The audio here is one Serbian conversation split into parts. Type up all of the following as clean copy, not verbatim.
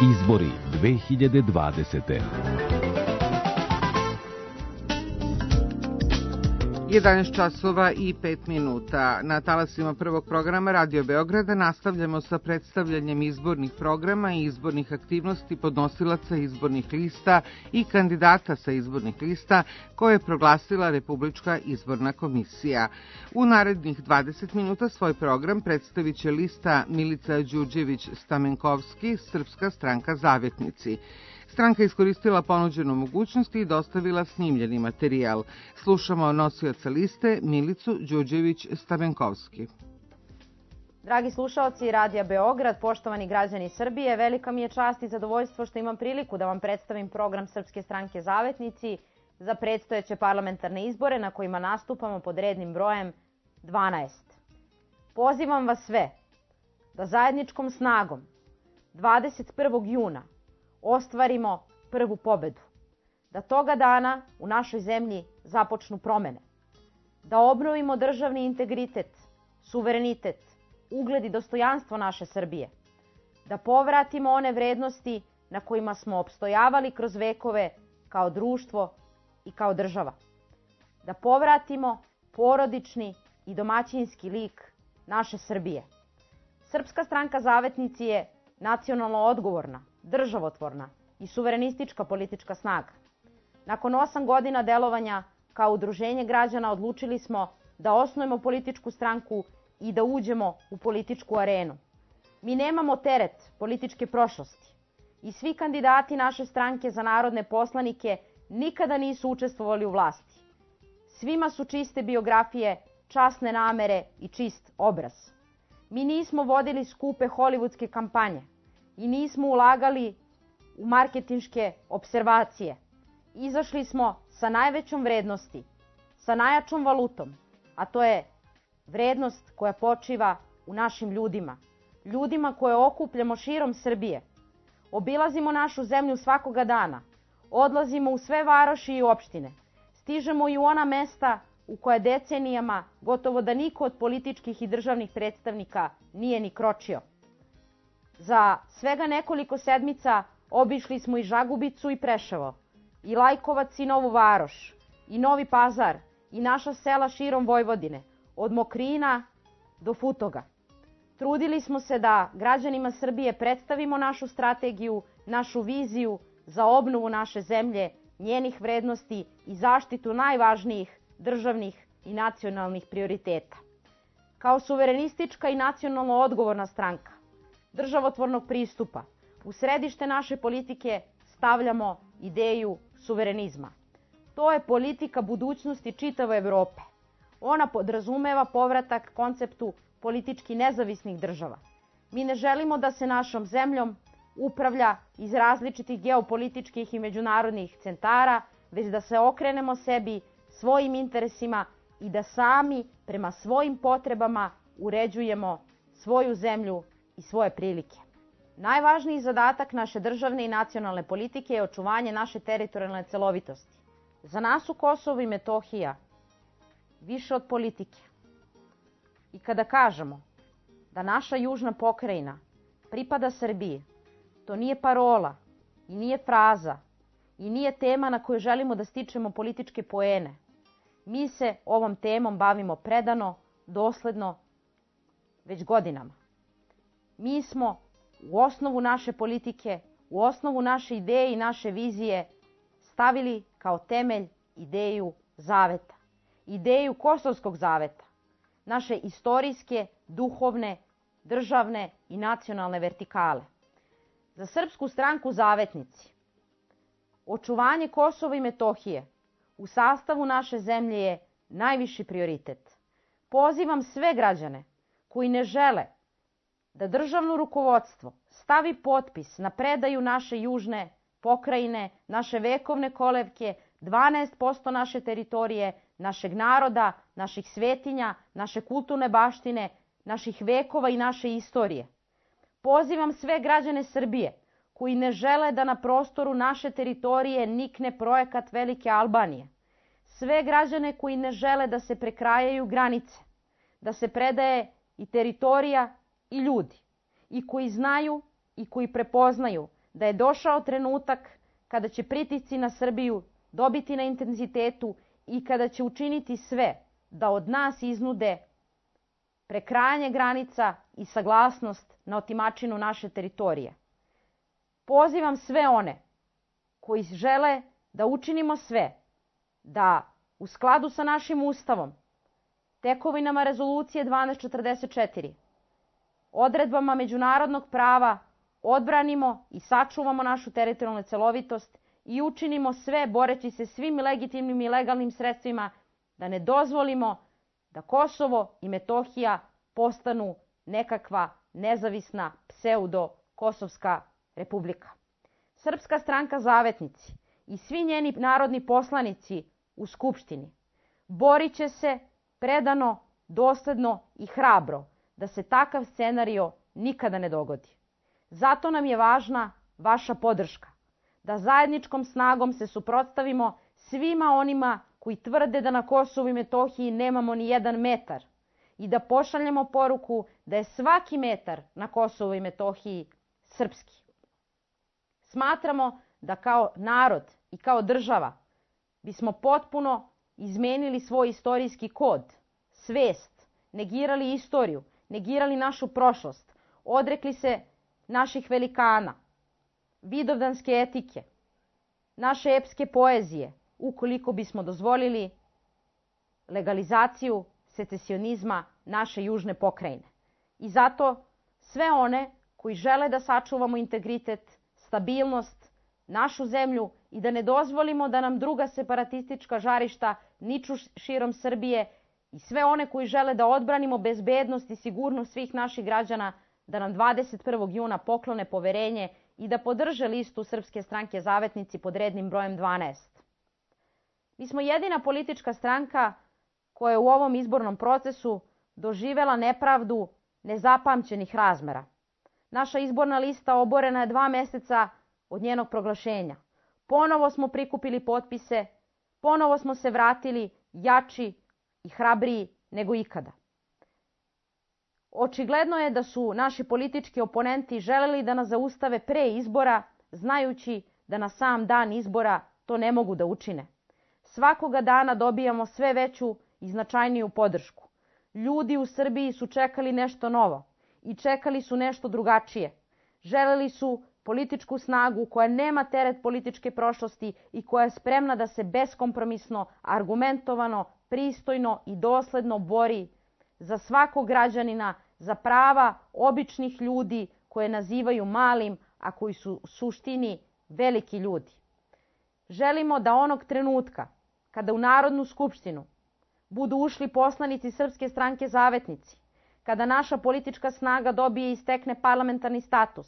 Izbori 2020. 11 časova i 5 minuta. Na talasima prvog programa Radio Beograda nastavljamo sa predstavljanjem izbornih programa i izbornih aktivnosti podnosilaca izbornih lista i kandidata sa izbornih lista koje je proglasila Republička izborna komisija. U narednih 20 minuta svoj program predstavit će lista Milica Đurđević-Stamenkovski, Srpska stranka Zavetnici. Stranka je iskoristila ponuđenu mogućnost i dostavila snimljeni materijal. Slušamo nosioca liste Milicu Đurđević-Stamenkovski. Dragi slušaoci Radija Beograd, poštovani građani Srbije, velika mi je čast i zadovoljstvo što imam priliku da vam predstavim program Srpske stranke Zavetnici za predstojeće parlamentarne izbore na kojima nastupamo pod rednim brojem 12. Pozivam vas sve da zajedničkom snagom 21. juna ostvarimo prvu pobedu, da toga dana u našoj zemlji započnu promene, da obnovimo državni integritet, suverenitet, ugled i dostojanstvo naše Srbije, da povratimo one vrednosti na kojima smo opstojavali kroz vekove kao društvo i kao država, da povratimo porodični i domaćinski lik naše Srbije. Srpska stranka Zavetnici je nacionalno odgovorna, državotvorna i suverenistička politička snaga. Nakon 8 godina delovanja kao udruženje građana odlučili smo da osnujemo političku stranku i da uđemo u političku arenu. Mi nemamo teret političke prošlosti i svi kandidati naše stranke za narodne poslanike nikada nisu učestvovali u vlasti. Svima su čiste biografije, časne namere i čist obraz. Mi nismo vodili skupe hollywoodske kampanje i nismo ulagali u marketinške observacije. Izašli smo sa najvećom vrednosti, sa najjačom valutom, a to je vrednost koja počiva u našim ljudima. Ljudima koje okupljamo širom Srbije. Obilazimo našu zemlju svakoga dana, odlazimo u sve varoši i opštine, stižemo i u ona mesta u koje decenijama gotovo da niko od političkih i državnih predstavnika nije ni kročio. Za svega nekoliko sedmica obišli smo i Žagubicu i Preševo, i Lajkovac i Novu Varoš, i Novi Pazar, i naša sela širom Vojvodine, od Mokrina do Futoga. Trudili smo se da građanima Srbije predstavimo našu strategiju, našu viziju za obnovu naše zemlje, njenih vrednosti i zaštitu najvažnijih državnih i nacionalnih prioriteta. Kao suverenistička i nacionalno odgovorna stranka državotvornog pristupa, u središte naše politike stavljamo ideju suverenizma. To je politika budućnosti čitave Evrope. Ona podrazumeva povratak konceptu politički nezavisnih država. Mi ne želimo da se našom zemljom upravlja iz različitih geopolitičkih i međunarodnih centara, već da se okrenemo sebi, svojim interesima i da sami prema svojim potrebama uređujemo svoju zemlju i svoje prilike. Najvažniji zadatak naše državne i nacionalne politike je očuvanje naše teritorijalne celovitosti. Za nas u Kosovu i Metohija više od politike. I kada kažemo da naša južna pokrajina pripada Srbiji, to nije parola i nije fraza i nije tema na kojoj želimo da stičemo političke poene. Mi se ovom temom bavimo predano, dosledno, već godinama. Mi smo u osnovu naše politike, u osnovu naše ideje i naše vizije stavili kao temelj ideju zaveta, ideju Kosovskog zaveta, naše istorijske, duhovne, državne i nacionalne vertikale. Za Srpsku stranku Zavetnici očuvanje Kosova i Metohije u sastavu naše zemlje je najviši prioritet. Pozivam sve građane koji ne žele da državno rukovodstvo stavi potpis na predaju naše južne pokrajine, naše vekovne kolevke, 12% naše teritorije, našeg naroda, naših svetinja, naše kulturne baštine, naših vekova i naše istorije. Pozivam sve građane Srbije koji ne žele da na prostoru naše teritorije nikne projekat Velike Albanije. Sve građane koji ne žele da se prekrajaju granice, da se predaje i teritorija i ljudi, i koji znaju i koji prepoznaju da je došao trenutak kada će pritisci na Srbiju dobiti na intenzitetu i kada će učiniti sve da od nas iznude prekrajanje granica i saglasnost na otimačinu naše teritorije. Pozivam sve one koji žele da učinimo sve da u skladu sa našim Ustavom, tekovinama Rezolucije 1244, odredbama međunarodnog prava odbranimo i sačuvamo našu teritorijalnu celovitost i učinimo sve boreći se svim legitimnim i legalnim sredstvima da ne dozvolimo da Kosovo i Metohija postanu nekakva nezavisna pseudo-kosovska republika. Srpska stranka Zavetnici i svi njeni narodni poslanici u Skupštini borit će se predano, dosledno i hrabro da se takav scenario nikada ne dogodi. Zato nam je važna vaša podrška, da zajedničkom snagom se suprotstavimo svima onima koji tvrde da na Kosovu i Metohiji nemamo ni jedan metar i da pošaljemo poruku da je svaki metar na Kosovu i Metohiji srpski. Smatramo da kao narod i kao država bismo potpuno izmenili svoj istorijski kod, svest, negirali istoriju, negirali našu prošlost, odrekli se naših velikana, vidovdanske etike, naše epske poezije, ukoliko bismo dozvolili legalizaciju secesionizma naše južne pokrajine. I zato sve one koji žele da sačuvamo integritet, stabilnost, našu zemlju i da ne dozvolimo da nam druga separatistička žarišta niču širom Srbije i sve one koji žele da odbranimo bezbednost i sigurnost svih naših građana, da nam 21. juna poklone poverenje i da podrže listu Srpske stranke Zavetnici pod rednim brojem 12. Mi smo jedina politička stranka koja je u ovom izbornom procesu doživela nepravdu nezapamćenih razmera. Naša izborna lista oborena je 2 meseca od njenog proglašenja. Ponovo smo prikupili potpise, ponovo smo se vratili jači i hrabriji nego ikada. Očigledno je da su naši politički oponenti želeli da nas zaustave pre izbora, znajući da na sam dan izbora to ne mogu da učine. Svakoga dana dobijamo sve veću i značajniju podršku. Ljudi u Srbiji su čekali nešto novo i čekali su nešto drugačije. Želeli su političku snagu koja nema teret političke prošlosti i koja je spremna da se beskompromisno, argumentovano, pristojno i dosledno bori za svakog građanina, za prava običnih ljudi koje nazivaju malim, a koji su u suštini veliki ljudi. Želimo da onog trenutka kada u Narodnu skupštinu budu ušli poslanici Srpske stranke Zavetnici, kada naša politička snaga dobije i stekne parlamentarni status,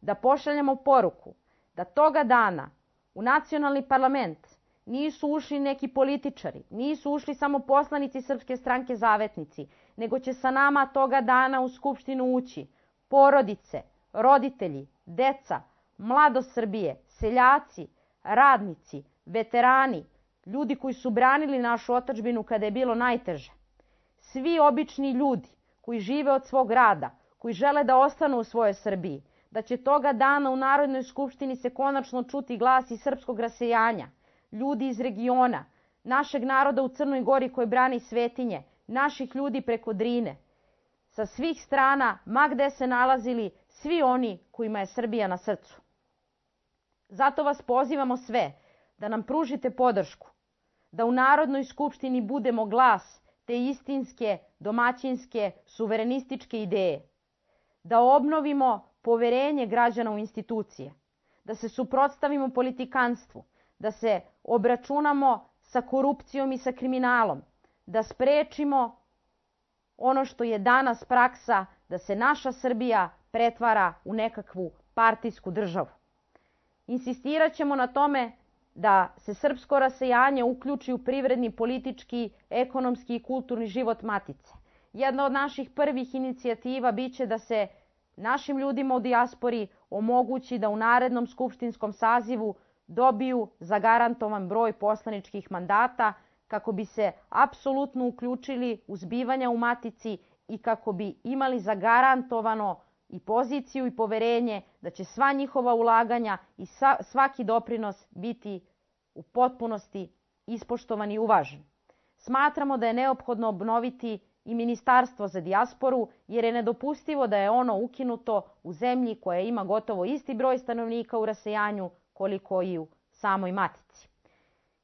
da pošaljemo poruku da toga dana u nacionalni parlament nisu ušli neki političari, nisu ušli samo poslanici Srpske stranke Zavetnici, nego će sa nama toga dana u Skupštinu ući porodice, roditelji, deca, mladost Srbije, seljaci, radnici, veterani, ljudi koji su branili našu otadžbinu kada je bilo najteže. Svi obični ljudi koji žive od svog rada, koji žele da ostanu u svojoj Srbiji, da će toga dana u Narodnoj skupštini se konačno čuti glas i srpskog rasejanja, ljudi iz regiona, našeg naroda u Crnoj Gori koji brani svetinje, naših ljudi preko Drine. Sa svih strana, ma gde se nalazili, svi oni kojima je Srbija na srcu. Zato vas pozivamo sve da nam pružite podršku, da u Narodnoj skupštini budemo glas te istinske, domaćinske, suverenističke ideje, da obnovimo poverenje građana u institucije, da se suprotstavimo politikanstvu, da se obračunamo sa korupcijom i sa kriminalom, da sprečimo ono što je danas praksa, da se naša Srbija pretvara u nekakvu partijsku državu. Insistirat ćemo na tome da se srpsko rasejanje uključi u privredni, politički, ekonomski i kulturni život matice. Jedna od naših prvih inicijativa biće da se našim ljudima u dijaspori omogući da u narednom skupštinskom sazivu dobiju zagarantovan broj poslaničkih mandata kako bi se apsolutno uključili u zbivanja u matici i kako bi imali zagarantovano i poziciju i poverenje da će sva njihova ulaganja i svaki doprinos biti u potpunosti ispoštovan i uvažen. Smatramo da je neophodno obnoviti i Ministarstvo za dijasporu, jer je nedopustivo da je ono ukinuto u zemlji koja ima gotovo isti broj stanovnika u rasejanju koliko i u samoj matici.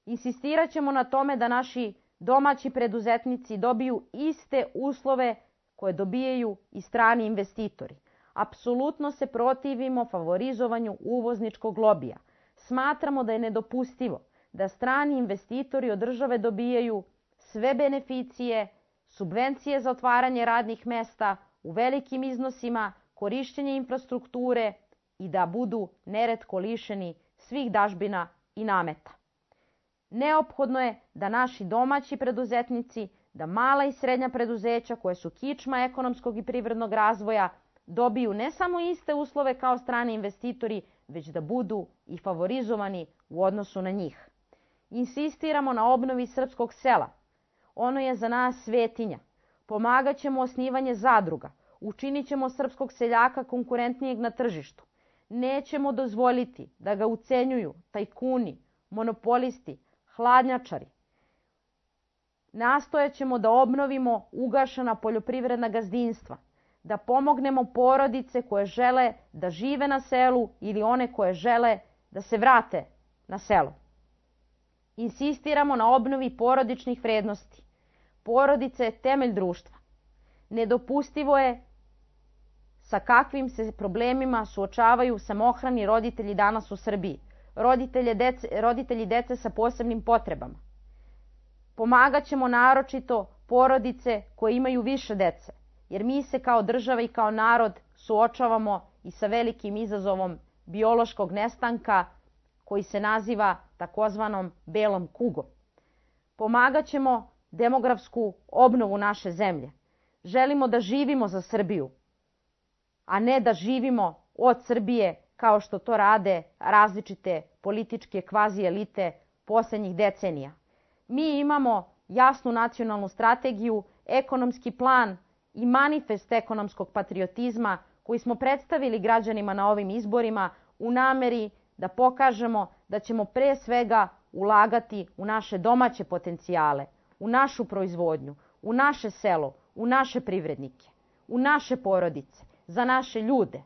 Insistirat ćemo na tome da naši domaći preduzetnici dobiju iste uslove koje dobijaju i strani investitori. Apsolutno se protivimo favorizovanju uvozničkog lobija. Smatramo da je nedopustivo da strani investitori od države dobijaju sve beneficije, subvencije za otvaranje radnih mesta u velikim iznosima, korišćenje infrastrukture i da budu neretko lišeni svih dažbina i nameta. Neophodno je da naši domaći preduzetnici, da mala i srednja preduzeća koje su kičma ekonomskog i privrednog razvoja dobiju ne samo iste uslove kao strani investitori, već da budu i favorizovani u odnosu na njih. Insistiramo na obnovi srpskog sela. Ono je za nas svetinja. Pomagat ćemo osnivanje zadruga. Učinit ćemo srpskog seljaka konkurentnijeg na tržištu. Nećemo dozvoliti da ga ucenjuju tajkuni, monopolisti, hladnjačari. Nastojat ćemo da obnovimo ugašena poljoprivredna gazdinstva, da pomognemo porodice koje žele da žive na selu ili one koje žele da se vrate na selo. Insistiramo na obnovi porodičnih vrednosti. Porodica je temelj društva. Nedopustivo je sa kakvim se problemima suočavaju samohrani roditelji danas u Srbiji, roditelji dece sa posebnim potrebama. Pomagat ćemo naročito porodice koje imaju više dece, jer mi se kao država i kao narod suočavamo i sa velikim izazovom biološkog nestanka koji se naziva takozvanom belom kugom. Pomagat ćemo demografsku obnovu naše zemlje. Želimo da živimo za Srbiju, a ne da živimo od Srbije kao što to rade različite političke kvazi elite poslednjih decenija. Mi imamo jasnu nacionalnu strategiju, ekonomski plan i manifest ekonomskog patriotizma koji smo predstavili građanima na ovim izborima u nameri da pokažemo da ćemo pre svega ulagati u naše domaće potencijale, u našu proizvodnju, u naše selo, u naše privrednike, u naše porodice, za naše ljude.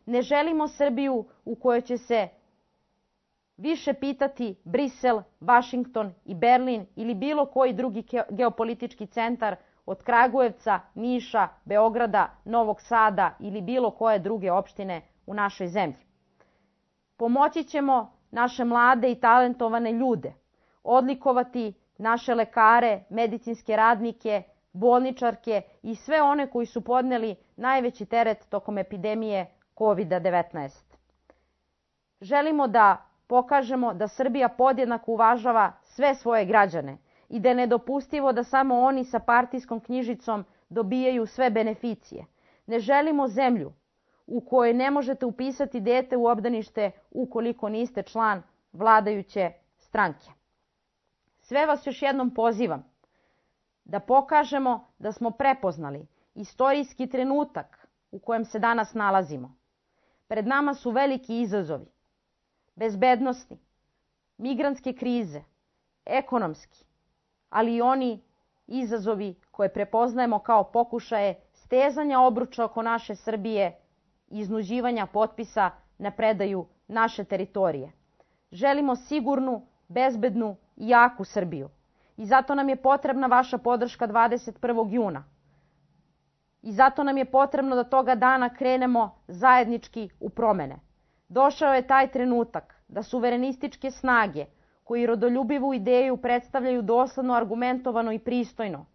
Ne želimo Srbiju u kojoj će se više pitati Brisel, Vašington i Berlin ili bilo koji drugi geopolitički centar od Kragujevca, Niša, Beograda, Novog Sada ili bilo koje druge opštine u našoj zemlji. Pomoći ćemo naše mlade i talentovane ljude, odlikovati naše lekare, medicinske radnike, bolničarke i sve one koji su podneli najveći teret tokom epidemije COVID-19. Želimo da pokažemo da Srbija podjednako uvažava sve svoje građane i da je nedopustivo da samo oni sa partijskom knjižicom dobijaju sve beneficije. Ne želimo zemlju u kojoj ne možete upisati dete u obdanište ukoliko niste član vladajuće stranke. Sve vas još jednom pozivam da pokažemo da smo prepoznali istorijski trenutak u kojem se danas nalazimo. Pred nama su veliki izazovi, bezbednosni, migrantske krize, ekonomski, ali i oni izazovi koje prepoznajemo kao pokušaje stezanja obruča oko naše Srbije i iznuđivanja potpisa na predaju naše teritorije. Želimo sigurnu, bezbednu i jaku Srbiju. I zato nam je potrebna vaša podrška 21. juna. I zato nam je potrebno da toga dana krenemo zajednički u promene. Došao je taj trenutak da suverenističke snage koji rodoljubivu ideju predstavljaju dosledno, argumentovano i pristojno,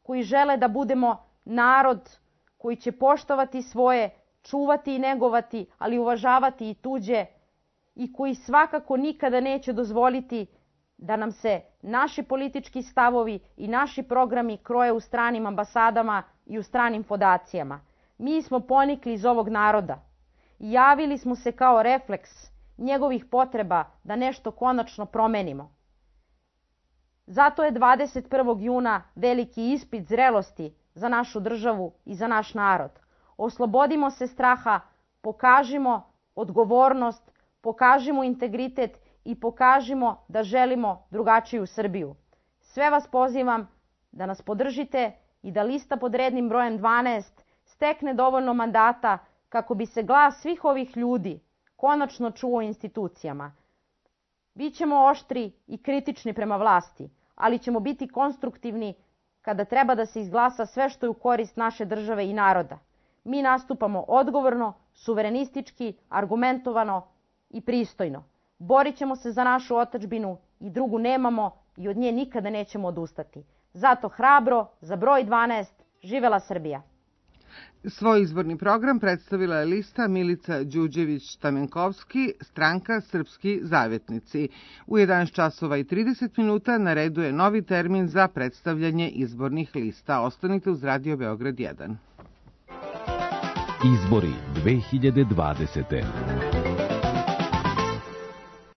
koji žele da budemo narod koji će poštovati svoje, čuvati i negovati, ali uvažavati i tuđe, i koji svakako nikada neće dozvoliti da nam se naši politički stavovi i naši programi kroje u stranim ambasadama i u stranim fondacijama. Mi smo ponikli iz ovog naroda i javili smo se kao refleks njegovih potreba da nešto konačno promenimo. Zato je 21. juna veliki ispit zrelosti za našu državu i za naš narod. Oslobodimo se straha, pokažimo odgovornost, pokažimo integritet i pokažimo da želimo drugačiju Srbiju. Sve vas pozivam da nas podržite i da lista pod rednim brojem 12 stekne dovoljno mandata kako bi se glas svih ovih ljudi konačno čuo u institucijama. Bićemo oštri i kritični prema vlasti, ali ćemo biti konstruktivni kada treba da se izglasa sve što je u korist naše države i naroda. Mi nastupamo odgovorno, suverenistički, argumentovano i pristojno. Borit ćemo se za našu otadžbinu i drugu nemamo i od nje nikada nećemo odustati. Zato hrabro, za broj 12, živela Srbija! Svoj izborni program predstavila je lista Milica Đuđević-Stamenkovski, stranka Srpski zavetnici. U 11 časova i 30 minuta na redu je novi termin za predstavljanje izbornih lista. Ostanite uz Radio Beograd 1. Izbori 2020.